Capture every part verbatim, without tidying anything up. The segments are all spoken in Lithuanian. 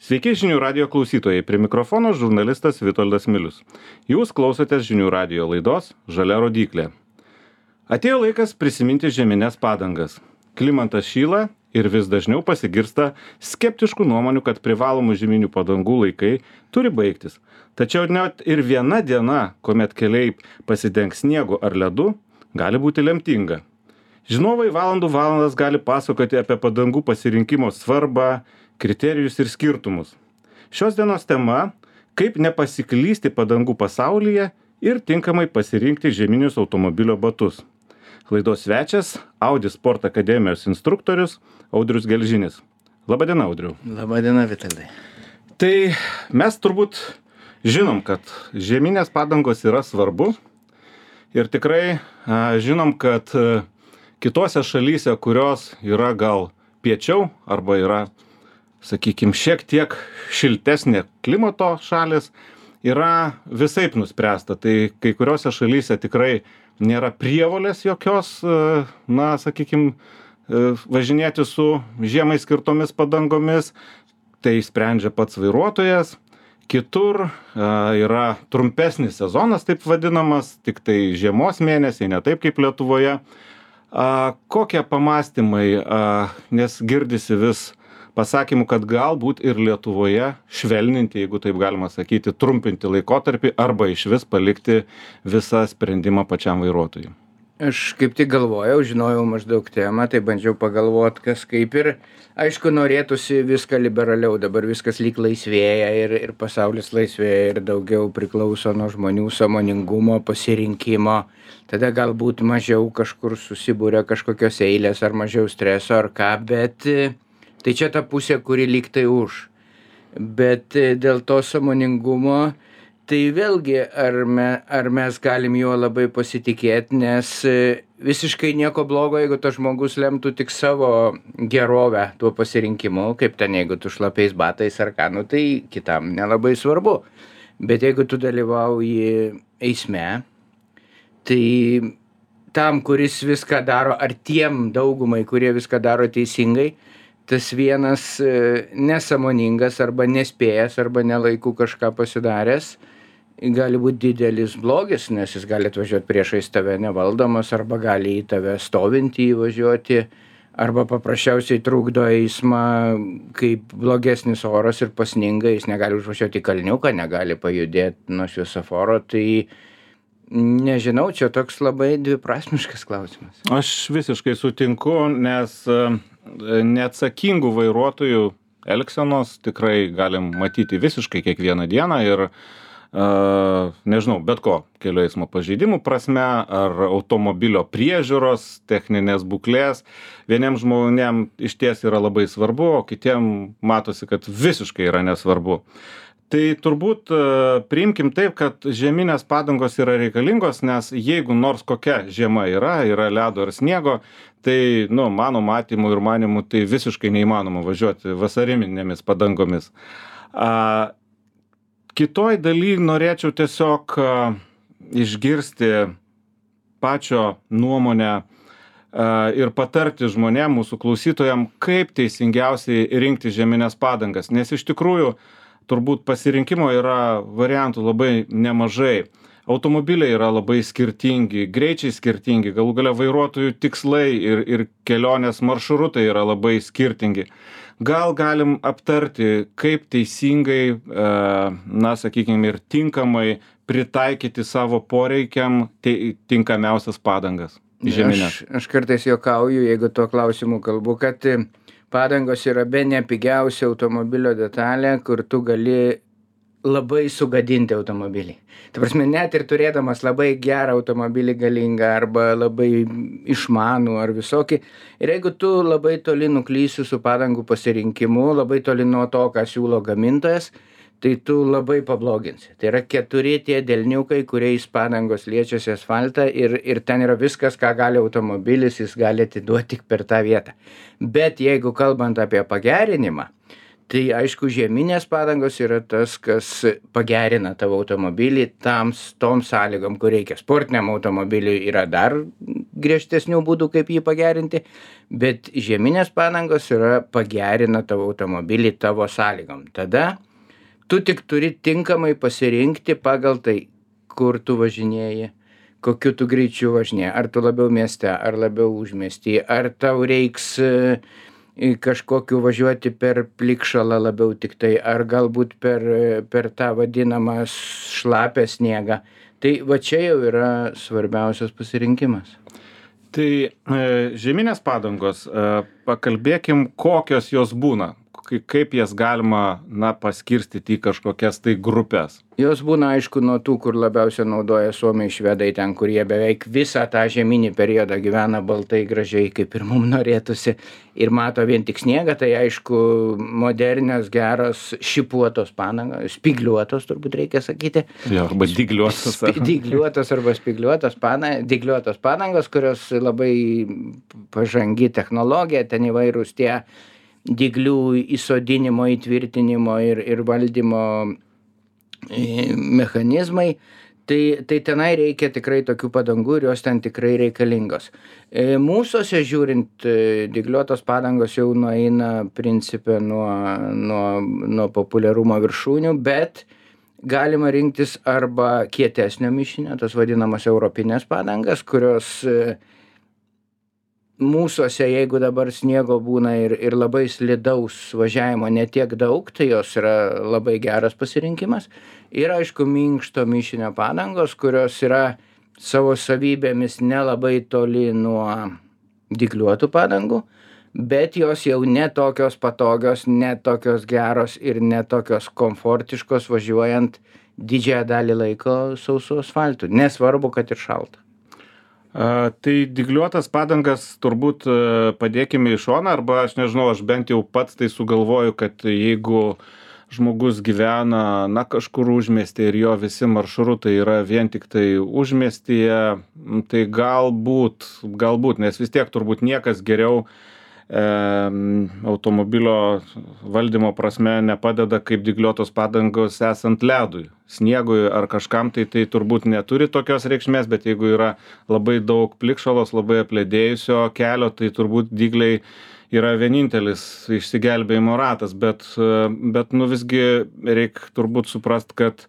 Sveiki žinių radio klausytojai, prie mikrofono žurnalistas Vitoldas Milius. Jūs klausotės žinių radio laidos Žalia rodyklė. Atėjo laikas prisiminti žiemines padangas. Klimatas šyla ir vis dažniau pasigirsta skeptiškų nuomonių, kad privalomų žieminių padangų laikai turi baigtis. Tačiau net ir viena diena, kuomet keliai pasidengs sniegu ar ledu, gali būti lemtinga. Žinovai valandų valandas gali pasakoti apie padangų pasirinkimo svarbą, kriterijus ir skirtumus. Šios dienos tema – kaip nepasiklysti padangų pasaulyje ir tinkamai pasirinkti žieminius automobilio batus. Laidos svečias – Audi Sport Akademijos instruktorius Audrius Gelžinis. Labadiena, Audriau. Labadiena, Vitoldai. Tai mes turbūt žinom, kad žieminės padangos yra svarbu ir tikrai a, žinom, kad a, kitose šalyse, kurios yra gal piečiau arba yra, sakykime, šiek tiek šiltesnė klimato šalis, yra visaip nuspręsta. Tai kai kuriuose šalyse tikrai nėra prievolės jokios, na, sakykime, važinėti su žiemai skirtomis padangomis, tai sprendžia pats vairuotojas. Kitur yra trumpesnis sezonas, taip vadinamas, tik tai žiemos mėnesiai, ne taip kaip Lietuvoje. Kokie pamastymai, nes girdisi vis pasakymų, kad galbūt ir Lietuvoje švelninti, jeigu taip galima sakyti, trumpinti laikotarpį arba išvis palikti visą sprendimą pačiam vairuotojui. Aš kaip tik galvojau, žinojau maždaug temą, tai bandžiau pagalvoti, kas kaip ir, aišku, norėtųsi viską liberaliau, dabar viskas lyg laisvėja ir, ir pasaulis laisvėja ir daugiau priklauso nuo žmonių sąmoningumo, pasirinkimo, tada galbūt mažiau kažkur susibūrė kažkokios eilės ar mažiau streso ar ką, bet tai čia ta pusė, kuri lyg tai už. Bet dėl to sąmoningumo, tai vėlgi, ar, me, ar mes galim juo labai pasitikėti, nes visiškai nieko blogo, jeigu tas žmogus lemtų tik savo gerovę tuo pasirinkimu, kaip ten, jeigu tu šlapiais batais ar ką, nu, tai kitam nelabai svarbu. Bet jeigu tu dalyvauji eisme, tai tam, kuris viską daro, ar tiem daugumai, kurie viską daro teisingai, tas vienas nesąmoningas arba nespėjęs arba nelaiku kažką pasidaręs gali būti didelis blogis, nes jis gali atvažiuoti priešais tave nevaldomas arba gali į tave stovintį įvažiuoti arba paprasčiausiai trukdo eismą, kaip blogesnis oras ir pasninga, jis negali užvažiuoti į kalniuką, negali pajudėti nuo šviesoforo, tai nežinau, čia toks labai dviprasmiškas klausimas. Aš visiškai sutinku, nes neatsakingų vairuotojų elgsenos tikrai galim matyti visiškai kiekvieną dieną ir, uh, nežinau, bet ko, kelių eismo pažeidimų prasme ar automobilio priežiūros, techninės būklės. Vieniem žmonėm išties yra labai svarbu, o kitiem matosi, kad visiškai yra nesvarbu. Tai turbūt priimkim taip, kad žieminės padangos yra reikalingos, nes jeigu nors kokia žiema yra, yra ledo ar sniego, tai, nu, mano matymu ir manimu, tai visiškai neįmanoma važiuoti vasariminėmis padangomis. A, kitoj daly norėčiau tiesiog a, išgirsti pačio nuomonę a, ir patarti žmonėm, mūsų klausytojam, kaip teisingiausiai rinkti žieminės padangas, nes iš tikrųjų turbūt pasirinkimo yra variantų labai nemažai. Automobiliai yra labai skirtingi, greičiai skirtingi, galų gale vairuotojų tikslai ir, ir kelionės maršrutai yra labai skirtingi. Gal galim aptarti, kaip teisingai, na, sakykime, ir tinkamai pritaikyti savo poreikiam tinkamiausias padangas žieminės. Aš, aš kartais juokauju, jeigu tuo klausimu kalbu, kad padangos yra bene pigiausia automobilio detalė, kur tu gali labai sugadinti automobilį. Tai prasme, net ir turėdamas labai gerą automobilį galingą arba labai išmanų ar visokį, ir jeigu tu labai toli nuklysi su padangų pasirinkimu, labai toli nuo to, ką siūlo gamintojas, tai tu labai pabloginsi. Tai yra keturi tie delniukai, kuriais padangos liečiasi asfaltą ir, ir ten yra viskas, ką gali automobilis, jis gali atiduoti tik per tą vietą. Bet jeigu kalbant apie pagerinimą, tai aišku, žieminės padangos yra tas, kas pagerina tavo automobilį tams, tom sąlygom, kur reikia. Sportiniam automobiliui yra dar griežtesnių būdų, kaip jį pagerinti, bet žieminės padangos yra pagerina tavo automobilį tavo sąlygom. Tada tu tik turi tinkamai pasirinkti pagal tai, kur tu važinėji, kokiu tu greičiu važinėji, ar tu labiau mieste, ar labiau užmiesty, ar tau reiks kažkokiu važiuoti per plikšalą labiau tik tai, ar galbūt per, per tą vadinamą šlapę sniegą. Tai va čia jau yra svarbiausias pasirinkimas. Tai e, žieminės padangos, e, pakalbėkim, kokios jos būna, kaip jas galima, na, paskirstyti į kažkokias tai grupės. Jos būna, aišku, nuo tų, kur labiausiai naudoja suomiai, švedai, ten, kur jie beveik visą tą žieminį periodą gyvena baltai gražiai, kaip ir mums norėtųsi, ir mato vien tik sniegą, tai aišku, modernios, geros, šipuotos padangos, spigliuotos, turbūt reikia sakyti. Jo, arba dygliuotos. Sp dygliuotos arba spigliuotos padangos, dygliuotos padangos, kurios labai pažangi technologija, ten įvairūs tie dyglių įsodinimo, įtvirtinimo ir, ir valdymo mechanizmai, tai, tai tenai reikia tikrai tokių padangų ir jos ten tikrai reikalingos. Mūsuose žiūrint, dygliuotos padangos jau nueina principė nuo, nuo, nuo populiarumo viršūnių, bet galima rinktis arba kietesnio mišinio, tas vadinamas europinės padangas, kurios mūsuose, jeigu dabar sniego būna ir, ir labai slidaus važiavimo netiek daug, tai jos yra labai geras pasirinkimas. Ir aišku, minkšto mišinio padangos, kurios yra savo savybėmis nelabai toli nuo dygliuotų padangų, bet jos jau ne tokios patogios, ne tokios geros ir ne tokios komfortiškos važiuojant didžiąją dalį laiko sausu asfaltu. Nesvarbu, kad ir šalta. A, tai dygliuotas padangas turbūt padėkime į šoną, arba aš nežinau, aš bent jau pats tai sugalvoju, kad jeigu žmogus gyvena, na, kažkur užmiestyje ir jo visi maršrutai yra vien tik tai užmiestyje, tai galbūt, galbūt, nes vis tiek turbūt niekas geriau e, automobilio valdymo prasme nepadeda kaip dygliuotos padangos esant ledui. Sniegui ar kažkam tai tai turbūt neturi tokios reikšmės, bet jeigu yra labai daug plikšalos, labai apledėjusio kelio, tai turbūt dygliai yra vienintelis išsigelbėjimo ratas, bet, bet nu visgi reikia turbūt suprast, kad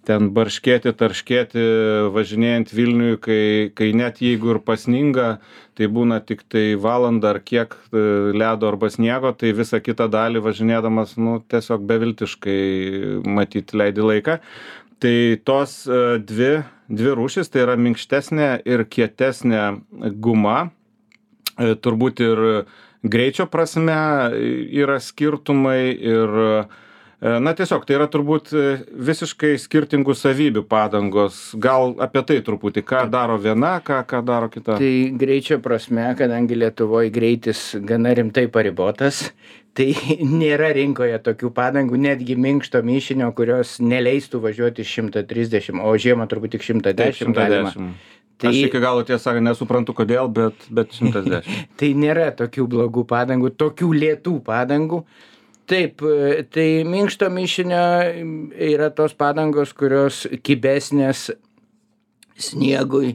ten barškėti, tarškėti, važinėjant Vilniui, kai, kai net jeigu ir pasninga, tai būna tik tai valandą ar kiek ledo arba sniego, tai visą kitą dalį važinėdamas, nu, tiesiog beviltiškai matyti leidi laiką. Tai tos dvi, dvi rūšis, tai yra minkštesnė ir kietesnė guma, turbūt ir greičio prasme yra skirtumai ir na tiesiog, tai yra turbūt visiškai skirtingų savybių padangos. Gal apie tai truputį, ką daro viena, ką, ką daro kita? Tai greičio prasme, kadangi Lietuvoje greitis gana rimtai paribotas, tai nėra rinkoje tokių padangų, netgi minkšto mišinio, kurios neleistų važiuoti šimtą trisdešimt, o žiemą turbūt tik šimtą dešimt galima. Tai... Aš iki galo tiesą nesuprantu kodėl, bet, bet šimtas dešimt. Tai nėra tokių blogų padangų, tokių lėtų padangų. Taip, tai minkšto mišinio yra tos padangos, kurios kibesnės sniegui,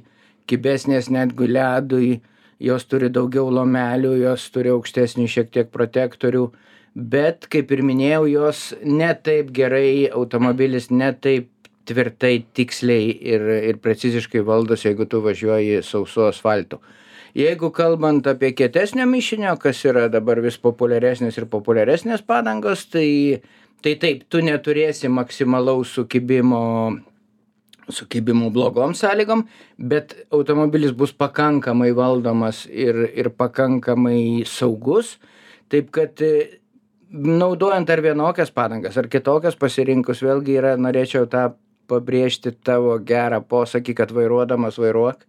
kibesnės netgi ledui, jos turi daugiau lomelių, jos turi aukštesnį šiek tiek protektorių, bet, kaip ir minėjau, jos ne taip gerai, automobilis ne taip tvirtai, tiksliai ir, ir preciziškai valdosi, jeigu tu važiuoji sausu asfaltu. Jeigu kalbant apie kietesnio mišinio, kas yra dabar vis populiaresnės ir populiaresnės padangos, tai, tai taip, tu neturėsi maksimalaus sukibimo, sukibimų blogom sąlygom, bet automobilis bus pakankamai valdomas ir, ir pakankamai saugus, taip kad naudojant ar vienokias padangas, ar kitokias pasirinkus, vėlgi yra, norėčiau tą pabrėžti tavo gerą posakį, kad vairuodamas vairuok.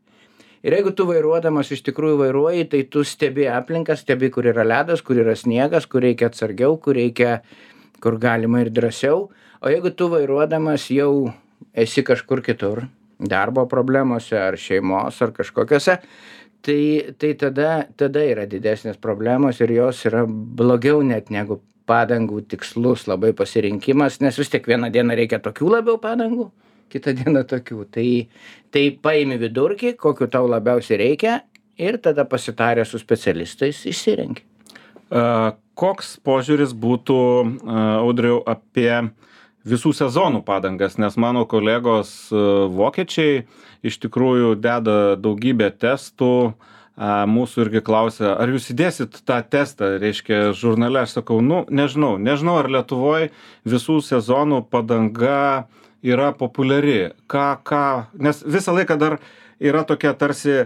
Ir jeigu tu vairuodamas iš tikrųjų vairuoji, tai tu stebi aplinką, stebi, kur yra ledas, kur yra sniegas, kur reikia atsargiau, kur reikia, kur galima ir drąsiau. O jeigu tu vairuodamas jau esi kažkur kitur, darbo problemose ar šeimos ar kažkokiose, tai, tai tada, tada yra didesnės problemos ir jos yra blogiau net negu padangų tikslus labai pasirinkimas, nes vis tiek vieną dieną reikia tokių labiau padangų, kitą dieną tokių. Tai, tai paimi vidurkį, kokiu tau labiausiai reikia ir tada pasitarę su specialistais išsirenki. Koks požiūris būtų, Audriau, apie visų sezonų padangas, nes mano kolegos vokiečiai iš tikrųjų deda daugybę testų, mūsų irgi klausia, ar jūs įdėsit tą testą, reiškia, žurnale, aš sakau, nu, nežinau, nežinau, ar Lietuvoje visų sezonų padanga yra populiari, ką, ką, nes visą laiką dar yra tokia tarsi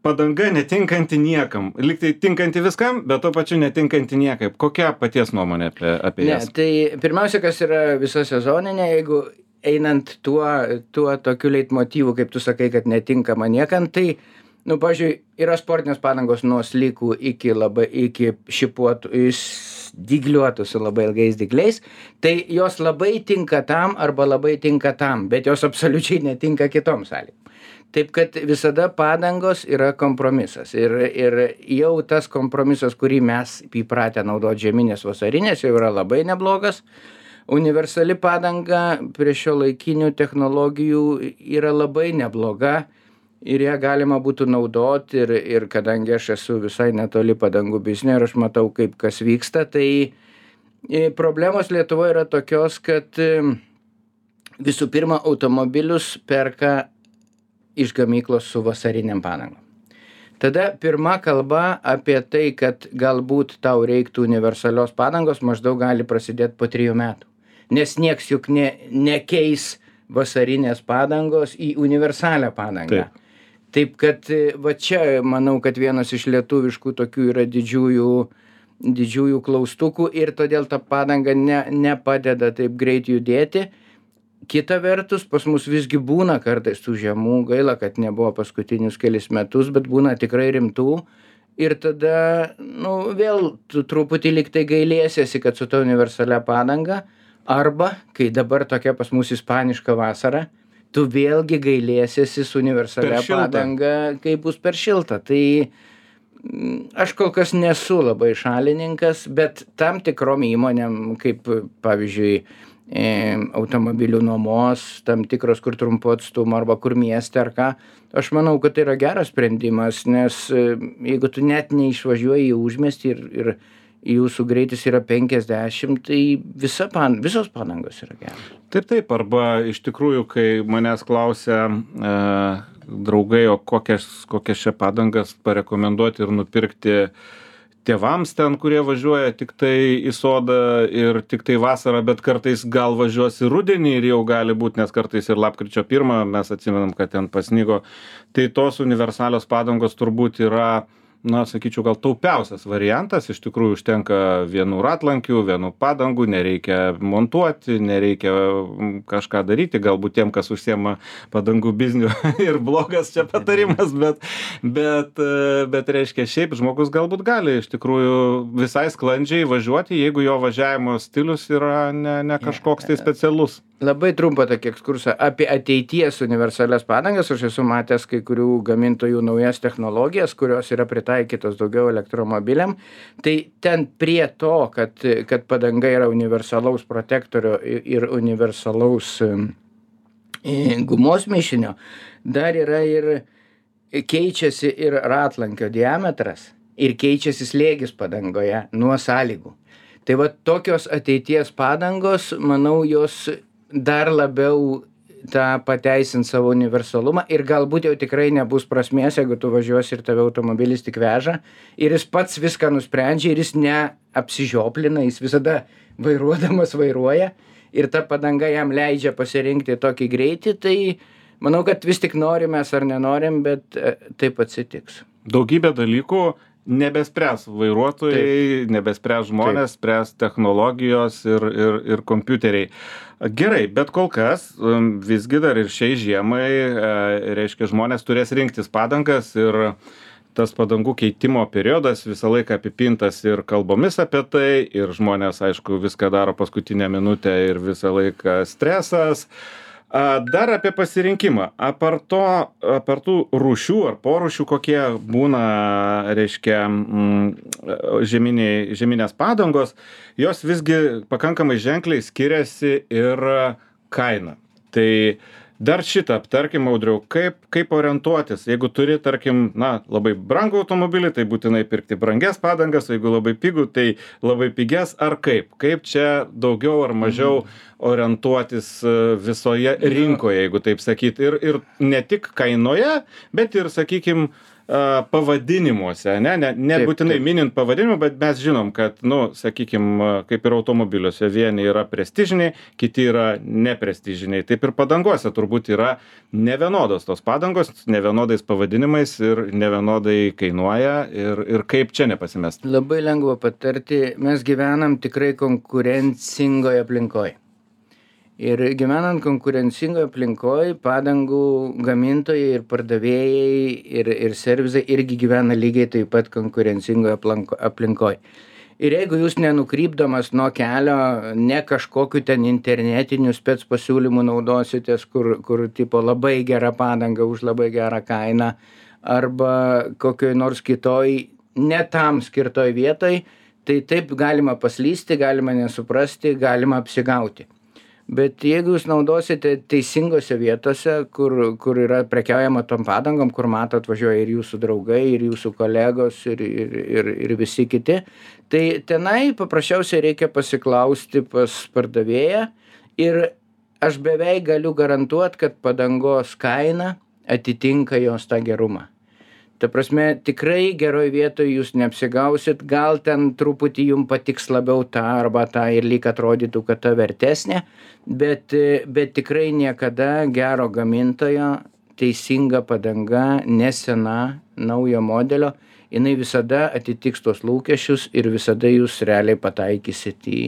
padanga netinkanti niekam, lyg tai tinkanti viskam, bet tuo pačiu netinkanti niekaip. Kokia paties nuomonė apie, apie ne, jas? Tai pirmiausia, kas yra visa sezoninė, jeigu einant tuo, tuo tokiu leitmotyvu, kaip tu sakai, kad netinkama niekam, tai, nu, pavyzdžiui, yra sportinės padangos nuo slikų iki, labai, iki šipuotų, dygliuotų su labai ilgais dygliais, tai jos labai tinka tam arba labai tinka tam, bet jos absoliučiai netinka kitom sąlygom. Taip kad visada padangos yra kompromisas ir, ir jau tas kompromisas, kurį mes įpratę naudoti žieminės vasarinės, jau yra labai neblogas. Universali padanga prie šio laikinių technologijų yra labai nebloga ir ją galima būtų naudoti ir, ir kadangi aš esu visai netoli padangų biznio ir aš matau, kaip kas vyksta, tai problemos Lietuvoje yra tokios, kad visų pirma automobilius perka iš gamyklos su vasariniam padangom. Tada pirma kalba apie tai, kad galbūt tau reiktų universalios padangos, maždaug gali prasidėti po trijų metų. Nes nieks juk ne, nekeis vasarinės padangos į universalią padangą. Taip. Taip kad va čia manau, kad vienas iš lietuviškų tokių yra didžiųjų, didžiųjų klaustukų ir todėl ta padanga ne, nepadeda taip greit judėti. Kita vertus, pas mus visgi būna kartais tų žiemų, gaila, kad nebuvo paskutinius kelis metus, bet būna tikrai rimtų. Ir tada, nu, vėl tu truputį lyg tai gailėsiesi, kad su ta universalia padanga, arba, kai dabar tokia pas mus ispaniška vasara, tu vėlgi gailėsiesi su universalia padanga, kai bus per šilta. Tai aš kol kas nesu labai šalininkas, bet tam tikrom įmonėm, kaip pavyzdžiui, automobilių nuomos, tam tikros, kur trumpo atstumo arba kur mieste ar ką, aš manau, kad tai yra geras sprendimas, nes jeigu tu net neišvažiuoji į užmiestį ir, ir jūsų greitis yra penkiasdešimt, tai visa pan, visos padangos yra geros. Taip, taip, arba iš tikrųjų, kai manęs klausia e, draugai, o kokias, kokias čia padangas parekomenduoti ir nupirkti tėvams ten, kurie važiuoja tik tai į sodą ir tik tai vasarą, bet kartais gal važiuos į rudenį ir jau gali būti, nes kartais ir lapkričio pirmą mes atsimenam, kad ten pasnigo. Tai tos universalios padangos turbūt yra, na, sakyčiau, gal taupiausias variantas. Iš tikrųjų užtenka vienų ratlankių, vienų padangų, nereikia montuoti, nereikia kažką daryti. Galbūt tiem, kas užsiema padangų bizniu ir blogas čia patarimas, bet, bet, bet reiškia, šiaip žmogus galbūt gali iš tikrųjų visai sklandžiai važiuoti, jeigu jo važiavimo stilius yra ne, ne kažkoks tai specialus. Labai trumpą tokį ekskursą apie ateities universalias padangas. Aš esu matęs kai kurių gamintojų naujas technologijas, kurios yra pritaikytos daugiau elektromobiliam. Tai ten prie to, kad, kad padanga yra universalaus protektorio ir universalaus gumos mišinio, dar yra ir keičiasi ir ratlankio diametras ir keičiasi slėgis padangoje nuo sąlygų. Tai va tokios ateities padangos, manau, jos dar labiau tą pateisint savo universalumą ir galbūt jau tikrai nebus prasmės, jeigu tu važiuosi ir tave automobilis tik veža ir jis pats viską nusprendžia ir jis neapsižioplina, jis visada vairuodamas vairuoja ir ta padanga jam leidžia pasirinkti tokį greitį, tai manau, kad vis tik norim mes ar nenorim, bet taip atsitiks. Daugybė dalykų nebespręs vairuotojai, taip. Nebespręs žmonės, taip. Spręs technologijos ir, ir, ir kompiuteriai. Gerai, bet kol kas visgi dar ir šiai žiemai, reiškia, žmonės turės rinktis padangas ir tas padangų keitimo periodas visą laiką apipintas ir kalbomis apie tai ir žmonės, aišku, viską daro paskutinę minutę ir visą laiką stresas. Dar apie pasirinkimą. Apart to, apart tų rūšių ar porūšių, kokie būna, reiškia, žeminiai, žeminės padangos, jos visgi pakankamai ženkliai skiriasi ir kaina. Tai Dar šitą aptarkim, Audriau, kaip, kaip orientuotis, jeigu turi, tarkim, na, labai brangų automobilį, tai būtinai pirkti brangias padangas, jeigu labai pigų, tai labai pigias, ar kaip? Kaip čia daugiau ar mažiau orientuotis visoje rinkoje, jeigu taip sakyti, ir, ir ne tik kainoje, bet ir, sakykim, pavadinimuose, ne, ne, ne Taip, būtinai taip. minint pavadinimą, bet mes žinom, kad, nu, sakykim, kaip ir automobiliuose, vieni yra prestižiniai, kiti yra neprestižiniai. Taip ir padangose turbūt yra nevienodos tos padangos, nevienodais pavadinimais ir nevienodai kainuoja ir, ir kaip čia nepasimesti. Labai lengva patarti, mes gyvenam tikrai konkurencingoje aplinkoje. Ir gyvenant konkurencingoje aplinkoje, padangų gamintojai ir pardavėjai ir, ir servizai irgi gyvena lygiai taip pat konkurencingoje aplinkoje. Ir jeigu jūs nenukrypdamas nuo kelio, ne kažkokiu ten internetinių spec pasiūlymų naudositės, kur, kur tipo labai gera padanga už labai gerą kainą, arba kokioj nors kitoj, ne tam skirtoj vietoj, tai taip galima paslysti, galima nesuprasti, galima apsigauti. Bet jeigu jūs naudosite teisingose vietose, kur, kur yra prekiaujama tom padangom, kur matot važiuoja ir jūsų draugai, ir jūsų kolegos, ir, ir, ir, ir visi kiti, tai tenai paprasčiausiai reikia pasiklausti pas pardavėją ir aš beveik galiu garantuot, kad padangos kaina atitinka jos tą gerumą. Ta prasme, tikrai geroj vietoj jūs neapsigausit, gal ten truputį jums patiks labiau tą arba tą ir lyg atrodytų, kad ta vertesnė, bet, bet tikrai niekada gero gamintojo teisinga padanga, nesena, naujo modelio, jinai visada atitiks tos lūkesčius ir visada jūs realiai pataikysit į...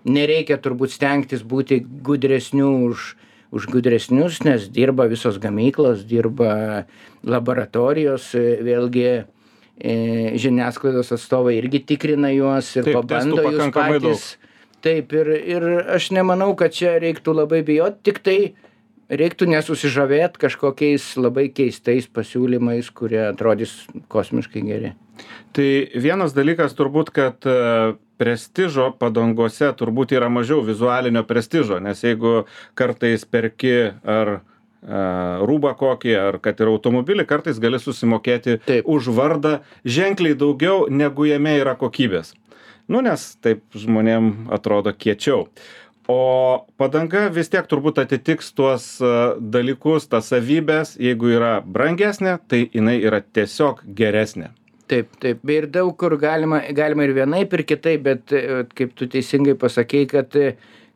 Nereikia turbūt stengtis būti gudresnių už... už gudresnius, nes dirba visos gamyklos, dirba laboratorijos, vėlgi e, žiniasklaidos atstovai irgi tikrina juos ir Taip, pabando testų jūs pakankamai patys. Taip, ir, ir aš nemanau, kad čia reiktų labai bijot, tik tai reiktų nesusižavėt kažkokiais labai keistais pasiūlymais, kurie atrodys kosmiškai geri. Tai vienas dalykas turbūt, kad prestižo padangose turbūt yra mažiau vizualinio prestižo, nes jeigu kartais perki ar a, rūbą kokį, ar kad ir automobilį, kartais gali susimokėti Taip. už vardą ženkliai daugiau, negu jame yra kokybės. Nu, nes taip žmonėm atrodo kiečiau. O padanga vis tiek turbūt atitiks tuos a, dalykus, tas savybės, jeigu yra brangesnė, tai jinai yra tiesiog geresnė. Taip, taip. Ir daug kur galima, galima ir vienaip, ir kitaip, bet kaip tu teisingai pasakei, kad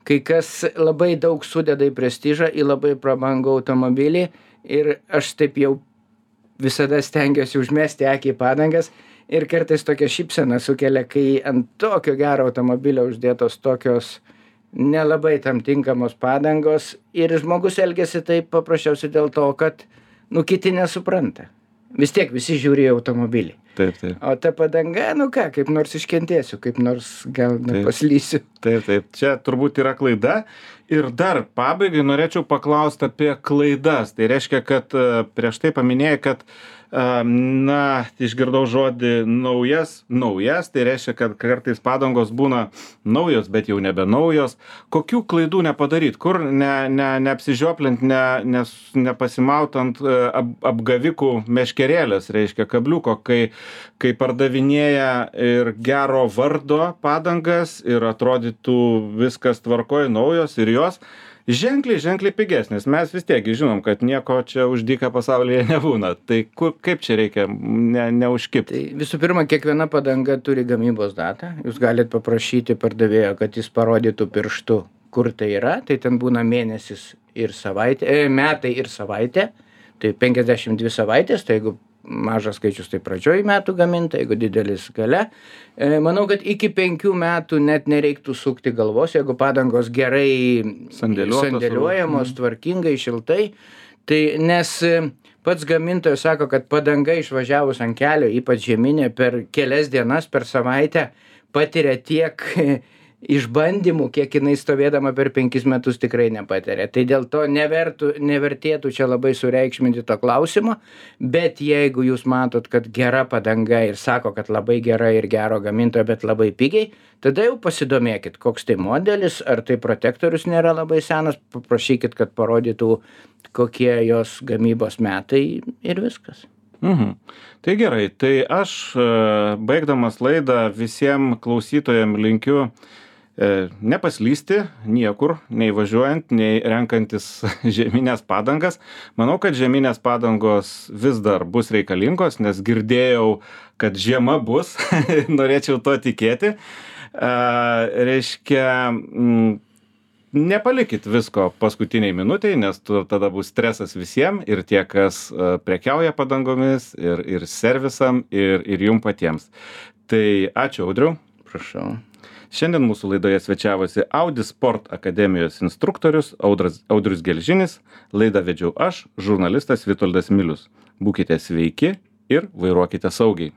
kai kas labai daug sudeda į prestižą, į labai prabangų automobilį ir aš taip jau visada stengiuosi užmesti akį į padangas ir kartais tokia šypsena sukelia, kai ant tokio gero automobilio uždėtos tokios nelabai tam tinkamos padangos ir žmogus elgiasi taip paprasčiausiai dėl to, kad nu kiti nesupranta. Vis tiek visi žiūri į automobilį. Taip, taip. O ta padanga, nu ką, kaip nors iškentėsiu, kaip nors gal nepaslysiu. Taip, taip. Čia turbūt yra klaida. Ir dar pabaigai norėčiau paklausti apie klaidas. Tai reiškia, kad prieš tai paminėjai, kad na, išgirdau žodį naujas, naujas, tai reiškia, kad kartais padangos būna naujos, bet jau nebe naujos. Kokių klaidų nepadaryt? Kur ne, ne, neapsižioplint, ne, nes, nepasimautant ap, apgavikų meškerėlės, reiškia kabliuko, kai, kai pardavinėja ir gero vardo padangas ir atrodytų viskas tvarkoj, naujos ir jos ženkliai, ženkliai pigesnis. Mes vis tiek žinom, kad nieko čia už dyką pasaulyje nebūna. Tai kur, kaip čia reikia ne, neužkipti? Tai visų pirma, kiekviena padanga turi gamybos datą. Jūs galit paprašyti pardavėjo, kad jis parodytų pirštu, kur tai yra. Tai ten būna mėnesis ir savaitė, e, metai ir savaitė. Tai penkiasdešimt dvi savaitės, tai jeigu mažas skaičius, tai pradžioj metų gaminta, jeigu didelis gale. E, manau, kad iki penkių metų net nereiktų sukti galvos, jeigu padangos gerai sandėliuojamos, tvarkingai, šiltai. Tai nes pats gamintojas sako, kad padanga išvažiavus ant kelio, ypač žieminė, per kelias dienas, per savaitę patiria tiek išbandymų, kiek jinai stovėdama per penkis metus tikrai nepatiria. Tai dėl to nevertų, nevertėtų čia labai sureikšminti to klausimo, bet jeigu jūs matot, kad gera padanga ir sako, kad labai gera ir gero gamintojo, bet labai pigiai, tada jau pasidomėkit, koks tai modelis, ar tai protektorius nėra labai senas, paprašykit, kad parodytų, kokie jos gamybos metai ir viskas. Mhm. Tai gerai, tai aš baigdamas laidą visiems klausytojams linkiu e, nepaslysti niekur, nei važiuojant, nei renkantis žieminės padangas. Manau, kad žieminės padangos vis dar bus reikalingos, nes girdėjau, kad žiema bus, norėčiau to tikėti. E, reiškia, m, nepalikit visko paskutiniai minutiai, nes tu, tada bus stresas visiems ir tie, kas uh, prekiauja padangomis, ir, ir servisam, ir, ir jum patiems. Tai ačiū, Audriau. Prašau. Šiandien mūsų laidoje svečiavosi Audi Sport akademijos instruktorius Audras, Audrius Gelžinis. Laidą vedžiau aš, žurnalistas Vitoldas Milius. Būkite sveiki ir vairuokite saugiai.